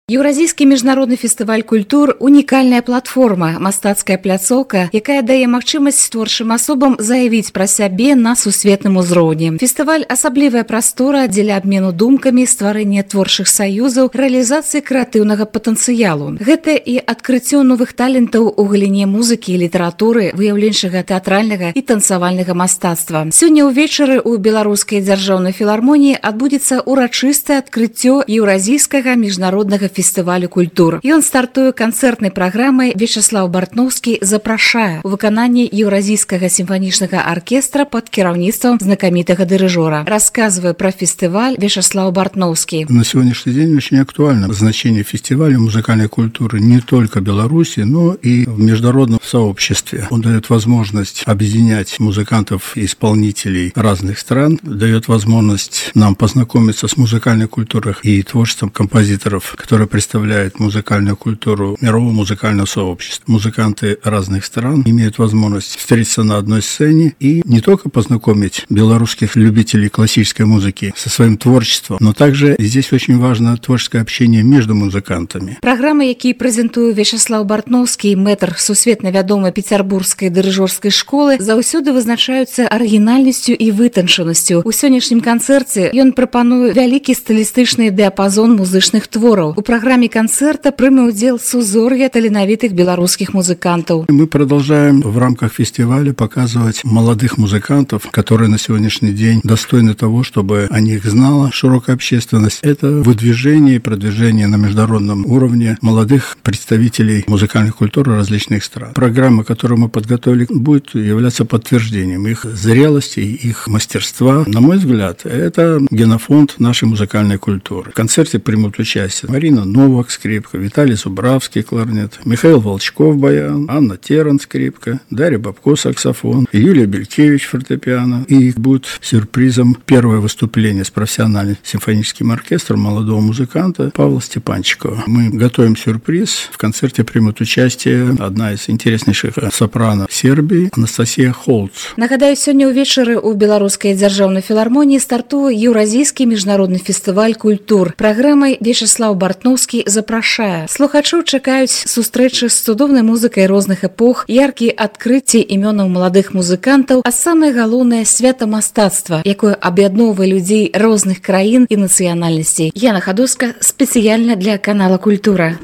Еўразійскі міжнародны фестываль культур – унікальная платформа, мастацкая пляцоўка, якая дае магчымасць творчым асобам заявіць пра сябе на сусветным узроўні. Фестываль – асаблівая прастора дзеля абмену думкамі, стварэння творчых саюзаў, рэалізацыі крэатыўнага патэнцыялу. Гэта і адкрыццё новых талентаў у галіне музыкі і літаратуры, выяўленчага тэатральнага і танцавальнага мастацтва. Сёння ўвечары ў Беларускай дзяржаўнай філармоніі адбудзецца урачыстае адкрыццё еўразійскага міжнароднага фестывалю культур. Ён стартуе канцэртнай праграмай Вячеслав Бартноўскі запрашае у выкананні Еўразійскага сімфанічнага аркестра пад кіраўніцтвам знакамітага дырыжора. Рассказывая про фестиваль Вячеслав Бартноўскі. На сегодняшний день очень актуально значение фестиваля музыкальной культуры не только в Беларуси, но и в международном сообществе. Он дает возможность объединять музыкантов и исполнителей разных стран, дает возможность нам познакомиться с музыкальной культурой и творчеством композиторов, которые представляют музыкальную культуру мирового музыкального сообщества. Музыканты разных стран имеют возможность встретиться на одной сцене и не только познакомить белорусских любителей классической музыки со своим творчеством, но также здесь очень важно творческое общение между музыкантами. Программы, які прэзентуе Вячеслав Бартноўскі, мэтр сусветна вядомай пецярбургскай дырыжорскай школы, заўсёды вызначаюцца арыгінальнасцю і вытанчанасцю. У сённяшнім канцэрце ён прапануе вялікі стылістычны дыяпазон музычных твораў. У программе концерта прыме удзел сузор'я таленавітых белорусских музыкантов. Мы продолжаем в рамках фестиваля показывать молодых музыкантов, которые на сегодняшний день достойны того, чтобы о них знала широкая общественность. Это выдвижение и продвижение на международном уровне молодых представителей музыкальной культуры различных стран. Программа, которую мы подготовили, будет являться подтверждением их зрелости, их мастерства. На мой взгляд, это генофонд нашей музыкальной культуры. В концерте примут участие Марина Новак, скрипка, Виталий Зубравский, кларнет, Михаил Волчков, баян, Анна Теран, скрипка, Дарья Бабко, саксофон, Юлия Белькевич, фортепиано. И будет сюрпризом первое выступление с профессиональным симфоническим оркестром молодого музыканта Павла Степанчикова. Мы готовим сюрприз. В концерте примут участие одна из интереснейших сопрано Сербии Анастасия Холц. Нагадаю, сёння ўвечары ў Беларускай дзяржаўнай філармоніі стартуе Еўразійскі міжнародны фестываль культур. Праграмай Вячеслав Бартноўскі запрашае. Слухачоў чакаюць сустрэчы з цудоўнай музыкай розных эпох, яркія адкрыцці імёнаў маладых музыкантаў, а самае галоўнае свята мастацтва, якое аб'ядноўвае людзей розных краін і нацыянальнасцей. Яна Хадоска спецыяльна для канала Культура.